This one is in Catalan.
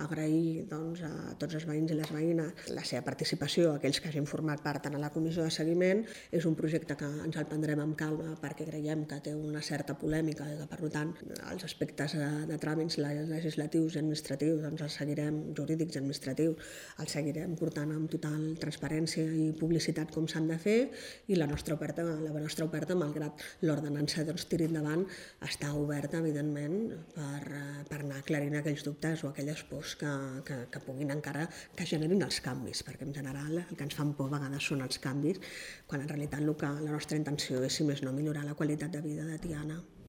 agrair a tots els veïns i les veïnes la seva participació, aquells que hagin format part en la comissió de seguiment. És un projecte que ens el prendrem amb calma perquè creiem que té una certa polèmica i que, per tant, els aspectes de tràmits legislatius i administratius els seguirem, jurídics i administratius, els seguirem portant amb total transparència i publicitat com s'han de fer, i la nostra oferta, malgrat l'ordenança tiri endavant, està oberta, evidentment, per anar aclarint aquells dubtes o aquelles pors que puguin encara que generin els canvis, perquè en general el que ens fan por a vegades són els canvis, quan en realitat la nostra intenció és, si més no, millorar la qualitat de vida de Tiana.